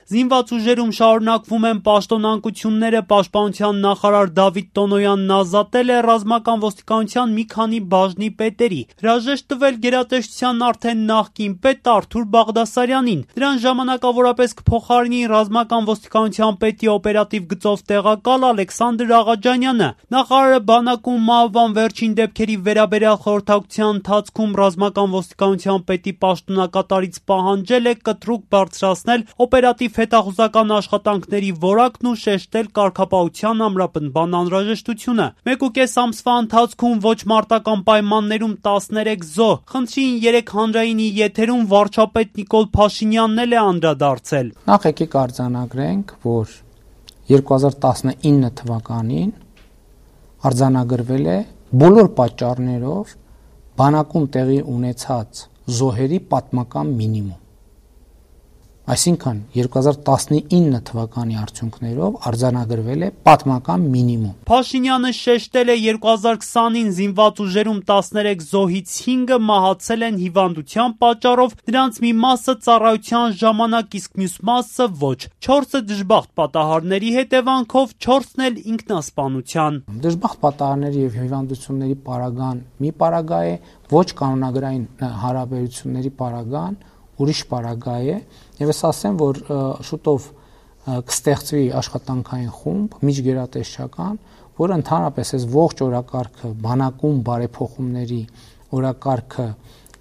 Զինված ուժերում շարունակվում են պաշտոնանկությունները, պաշտպանության նախարար Դավիթ Տոնոյանն ազատել է ռազմական ոստիկանության մի քանի բաժնի պետերի, հրաժեշտ տվել գերատեսչության արդեն նախկին պետ Արթուր Բաղդասարյանին, դրան ժամանակավորապես կփոխարինի ռազմական ոստիկանության պետի օպերատիվ գծով տեղակալ Ալեքսանդր Աղաջանյանը։ Նախարարը բանակում մահվան վերջին դեպքերի վերաբերյալ խորհրդակցության ընթացքում ռազմական ոստիկանության պետի պաշտոնակատարից պահանջել է կտրուկ բարձրացնել օպերատիվ հետախուզական աշխատանքների որակն ու շեշտել կարգապահության ամրապնդման անհրաժեշտությունը։ 1.5 ամսվա ընթացքում ոչ մարտական պայմաններում 13 զոհ, խնդրին 3 հանրայինի եթերում վարչապետ Նիկոլ Փաշինյանն էլ է անդրադարձել։ Նախ եկեք արձանագրենք, որ 2019 թվականին արձանագրվել է բոլոր պատճառներով բանակում տեղի ունեցած զոհերի պատմական մինիմում։ Այսինքն 2019 թվականի արդյունքներով արձանագրվել է պատմական մինիմում։ Փաշինյանը շեշտել է 2020-ին զինված ուժերում 13 զոհից 5-ը մահացել են հիվանդության պատճառով, դրանց մի մասը ծառայության ժամանակ, իսկ մյուս մասը ոչ։ 4-ը դժբախտ պատահարների հետևանքով, 4-ն էլ ինքնասպանության։ Դժբախտ պատահարների եւ հիվանդությունների պարագան մի պարագա է, ոչ կանոնագրային հարաբերությունների պարագան ուրիշ պարագա է, եւ ես ասեմ, որ շուտով կստեղծվի աշխատանքային խումբ միջգերատեսչական, որը ընդհանրապես այս ողջ օրակարգը բանակում բարեփոխումների օրակարգը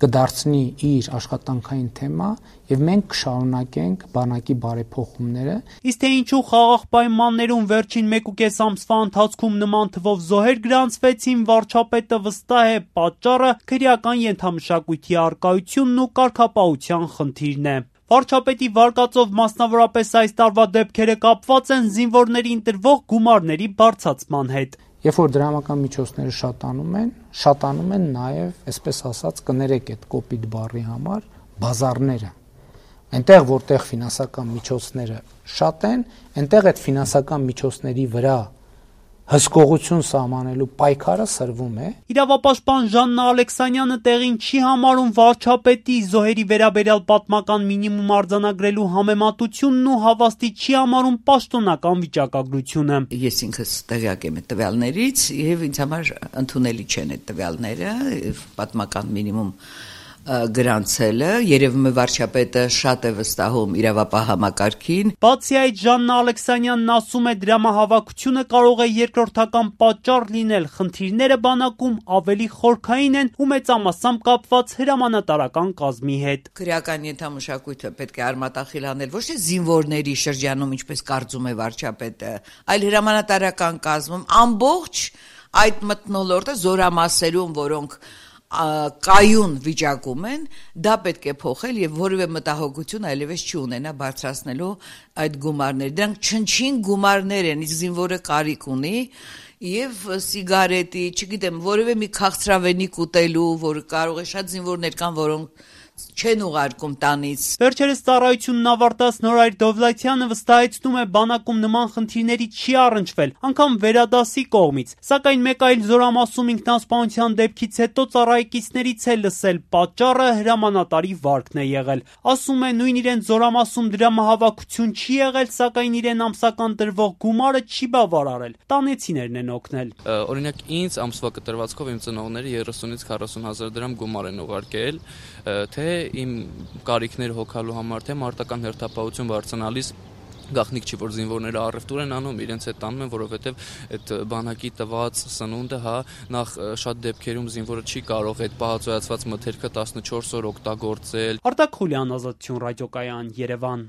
կդարձնի իր աշխատանքային թեմա եւ մենք կշարունակենք բանակի բարեփոխումները։ Իսկ թե ինչու խաղաղ պայմաններում վերջին 1.5 ամսվա ընթացքում նման թվով զոհեր գրանցվեցին, վարչապետը վստահ է, պատճառը քրեական ենթամշակույթի առկայությունն ու կարգապահության խնդիրն է։ Վարչապետի վարկածով մասնավորապես այս տարվա դեպքերը կապված են զինվորներին տրվող գումարների բարձրացման հետ։ Երբ որ դրամական միջոցները շատանում են նաև, այսպես ասած, կներեք այդ կոպիտ բառի համար, բազարները։ Այնտեղ, որտեղ ֆինանսական միջոցները շատ են, այնտեղ այդ ֆինանսական միջոցների վրա հսկողություն սահմանելու պայքարը սրվում է։ Իրավապաշտպան Ժաննա Ալեքսանյանը տեղին չի համարում վարչապետի զոհերի վերաբերյալ պատմական մինիմում արձանագրելու համեմատությունն ու հավաստի չի համարում պաշտոնական վիճակագրությունը։ Ես ինքս տեղյակ եմ այդ տվյալներից եւ ինձ համար ընդունելի չեն այդ տվյալները, պատմական մինիմում գրանցելը, երևում է վարչապետը շատ է վստահում իրավապահ համակարգին։ Բացի այդ, Ժաննա Ալեքսանյանն ասում է, դրամահավաքությունը կարող է երկրորդական պատճառ լինել, խնդիրները բանակում ավելի խորքային են ու մեծամասամբ կապված հրամանատարական կազմի հետ։ Քրեական ենթամշակույթը պետք է արմատախիլ անել ոչ թե զինվորների շրջանում, ինչպես կարծում է վարչապետը, այլ հրամանատարական կազմում ամբողջ այդ մթնոլորտը զորամասերում, որոնք կայուն վիճակում են, դա պետք է փոխել եւ որևէ մտահոգություն այլևս չի ունենա բարձրացնելու այդ գումարները։ Դրանք չնչին գումարներ են, իսկ զինվորը կարիք ունի եւ սիգարետի, չգիտեմ, որևէ մի քաղցրավենիք ուտելու, որ կարող է շատ զինվորներ կան, որոնք չեն ուղարկում տանից։ Վերջերս ծառայությունն ավարտած Նորայր Դովլաթյանը վստահեցնում է, բանակում նման խնդիրների չի առնչվել, անգամ վերադասի կողմից, սակայն մեկ այլ զորամասում ինքնասպանության դեպքից հետո ծառայեկիցներից է լսել, պատճառը հրամանատարի վարկն է եղել։ Ասում է, նույն իրեն զորամասում դրամահավաքություն չի եղել, սակայն իրեն ամսական տրվող գումարը չի բավարարել, տանեցիներն են օգնել։ Օրինակ ինձ ամսվա կտրվածքով իմ ծնողները 30-ից 40,000 դրամ գումար են ուղարկել, թե իմ կարիքներ հոգալու համար, թե մարտական հերթապահություն բարձրանալիս գաղտնիք չի, որ զինվորները առևտուր են անում, իրենց հետ տանում են, որովհետև այդ բանակի տված սնունդը, նախ շատ դեպքերում զինվորը չի կարող այդ պահածոյացված մթերքը 14 օր օգտագործել։ Արտակ Խուլյան, Ազատություն ռադիոկայան, Երևան։